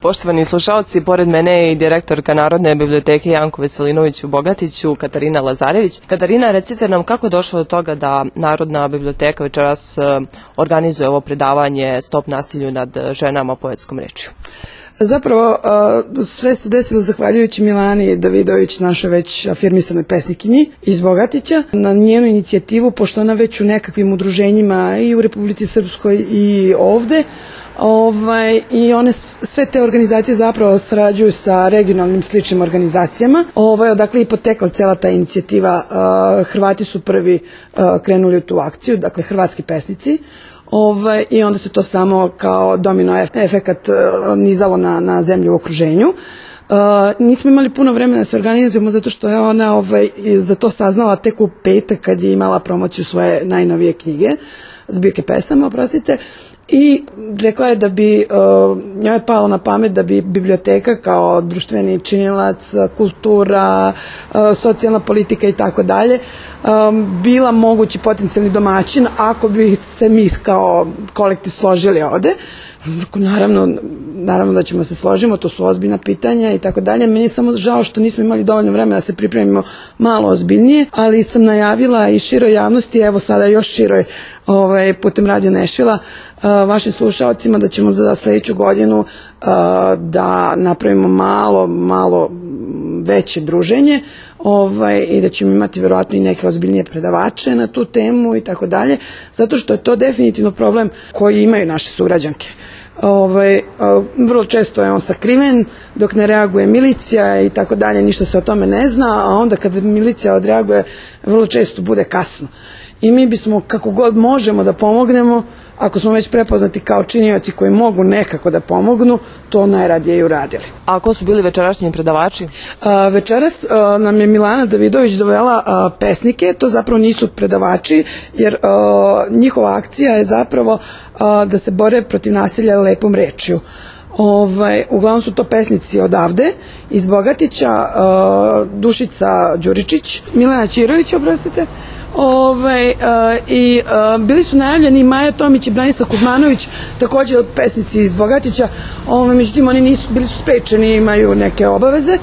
Poštovani slušalci, pored mene je i direktorka Narodne biblioteke Janko Veselinović u Bogatiću, Katarina Lazarević. Katarina, recite nam kako je došlo do toga da Narodna biblioteka večeras organizuje ovo predavanje Stop nasilju nad ženama poetskom rečju? Zapravo, sve se desilo zahvaljujući Milani Davidović, našoj već afirmisanoj pesnikinji iz Bogatića, na njenu inicijativu, pošto ona već u nekakvim udruženjima i u Republici Srpskoj i ovde, i one sve te organizacije zapravo sarađuju sa regionalnim sličnim organizacijama. Odakle je potekla cela ta inicijativa. Hrvati su prvi krenuli u tu akciju, dakle hrvatski pesnici. I onda se to samo kao domino efekat nizalo na zemlju u okruženju. Nismo imali puno vremena da se organizujemo zato što je ona za to saznala tek u petak kad je imala promociju svoje najnovije knjige, zbirke pesama, oprostite, i rekla je da bi, njoj je palo na pamet da bi biblioteka kao društveni činilac, kultura, socijalna politika i tako dalje bila mogući potencijalni domaćin ako bi se mi kao kolektiv složili ovde. Naravno da ćemo se složimo, to su ozbiljna pitanja i tako dalje. Meni je samo žao što nismo imali dovoljno vremena da se pripremimo malo ozbiljnije, ali sam najavila i široj javnosti, evo sada još široj putem Radio Nešvila, vašim slušalcima da ćemo za sledeću godinu da napravimo malo veće druženje i da ćemo imati verovatno i neke ozbiljnije predavače na tu temu i tako dalje, zato što je to definitivno problem koji imaju naše sugrađanke. Vrlo često je on sakriven dok ne reaguje milicija i tako dalje, ništa se o tome ne zna, a onda kad milicija odreaguje vrlo često bude kasno. I mi bismo kako god možemo da pomognemo, ako smo već prepoznati kao činioci koji mogu nekako da pomognu, to najradije i uradili. A ko su bili večerašnji predavači? Večeras nam je Milana Davidović dovela pesnike, to zapravo nisu predavači, jer njihova akcija je zapravo da se bore protiv nasilja lepom rečju. Uglavnom su to pesnici odavde, iz Bogatića, Dušica Đuričić, Milena Ćirović, oprostite, i bili su najavljeni Maja Tomić i Branislav Kuzmanović, također pesnici iz Bogatića, međutim oni bili su sprečeni, imaju neke obaveze.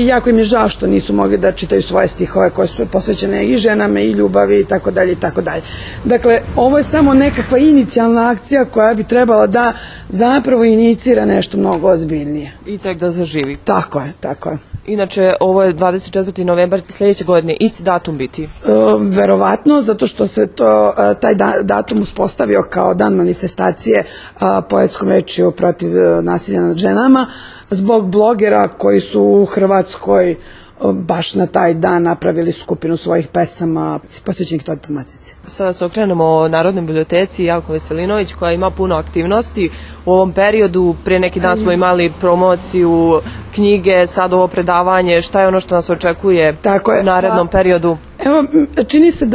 Jako im je žao što nisu mogli da čitaju svoje stihove koje su posvećene i ženama i ljubavi i tako dalje i tako dalje. Dakle, ovo je samo nekakva inicijalna akcija koja bi trebala da zapravo inicira nešto mnogo ozbiljnije. I tek da zaživi. Tako je, tako je. Inače, ovo je 24. novembar sledeće godine, isti datum biti? Verovatno, zato što se taj datum uspostavio kao dan manifestacije poetskom rečju protiv nasilja nad ženama, zbog blogera koji su u Hrvatskoj baš na taj dan napravili skupinu svojih pesama posvećenih toj tematici. Sada se okrenemo Narodnoj biblioteci Janko Veselinović koja ima puno aktivnosti u ovom periodu. Prije neki dan smo imali promociju knjige, sad ovo predavanje. Šta je ono što nas očekuje u narednom periodu? Evo, čini se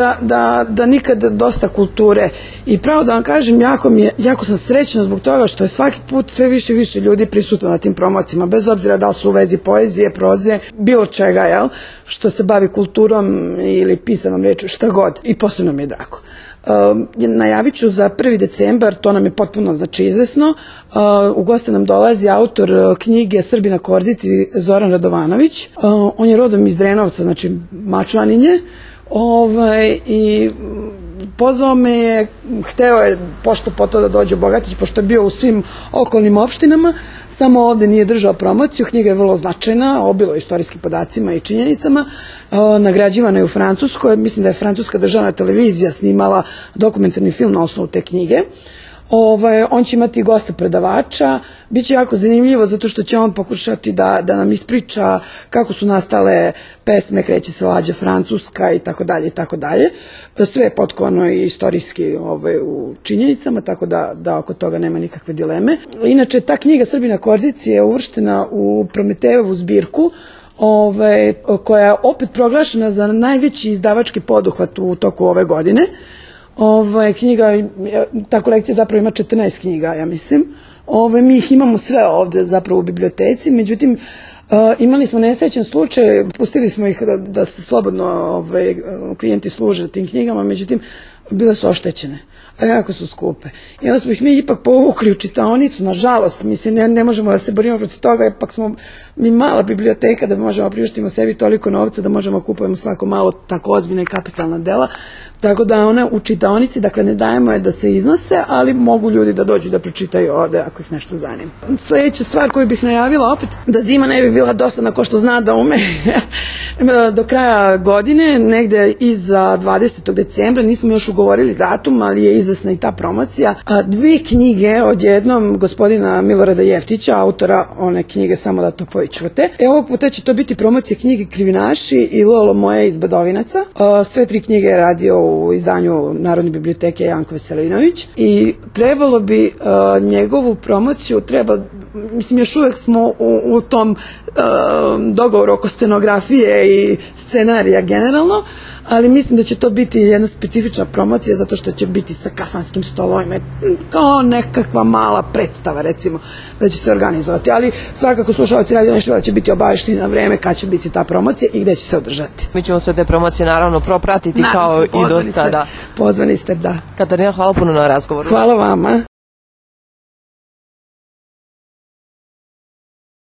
da nikad dosta kulture i pravo da vam kažem, jako sam srećna zbog toga što je svaki put sve više i više ljudi prisutno na tim promocijama, bez obzira da li su u vezi poezije, proze, bilo čega, što se bavi kulturom ili pisanom rečju, šta god, i posebno mi je drago. Najavit ću za 1. decembar, to nam je potpuno izvesno, u goste nam dolazi autor knjige Srbi na Korzici Zoran Radovanović, on je rodom iz Drenovca, znači Mačvanin je, i pozvao me je, hteo je pošto po to da dođe u Bogatić, pošto je bio u svim okolnim opštinama, samo ovde nije držao promociju. Knjiga je vrlo značajna, obilo istorijskim podacima i činjenicama, nagrađivana je u Francuskoj, mislim da je francuska državna televizija snimala dokumentarni film na osnovu te knjige. On će imati gosta predavača, bit će jako zanimljivo zato što će on pokušati da nam ispriča kako su nastale pesme Kreće se lađa Francuska i tako dalje i tako dalje. Sve je potkovano i istorijski u činjenicama, tako da oko toga nema nikakve dileme. Inače, ta knjiga Srbi na Korzici je uvrštena u Prometejevu zbirku, koja je opet proglašena za najveći izdavački poduhvat u toku ove godine. Ta kolekcija zapravo ima 14 knjiga, ja mislim. Mi ih imamo sve ovde zapravo u biblioteci, međutim imali smo nesrećan slučaj, pustili smo ih da se slobodno klijenti služe tim knjigama, međutim bile su oštećene, a jako su skupe. I onda smo ih mi ipak povukli u čitaonicu, nažalost, mislim, ne možemo da se borimo protiv toga, ipak smo mi mala biblioteka da možemo priuštimo sebi toliko novca da možemo kupujemo svako malo tako ozbiljna i kapitalna dela, tako da one u čitaonici, dakle ne dajemo je da se iznose, ali mogu ljudi da dođu da pročitaju ovde ako ih nešto zanima. Sledeća stvar koju bih najavila opet, da zima ne bi bila dosadna ko što zna da ume, do kraja godine, negde iza 20. decembra, nismo još ugovorili datum, ali je izvesna i ta promocija. 2 knjige od jednom gospodina Milorada Jeftića, autora one knjige Samo da to povičujete. Ovog puta će to biti promocija knjige Krivinaši i Lolo moje iz Badovinaca. Sve 3 knjige je radio u izdanju Narodne biblioteke Janko Veselinović i trebalo bi njegovu promociju, mislim još uvek smo u tom dogovoru oko scenografije i scenarija generalno, ali mislim da će to biti jedna specifična promocija zato što će biti sa kafanskim stolovima, kao nekakva mala predstava recimo da će se organizovati, ali svakako slušalci Radio Neštiva će biti obavešteni na vreme kad će biti ta promocija i gde će se održati. Mi ćemo sve te promocije naravno propratiti kao i do sada. Pozvani ste, da. Katarina, hvala puno na razgovoru. Hvala vama.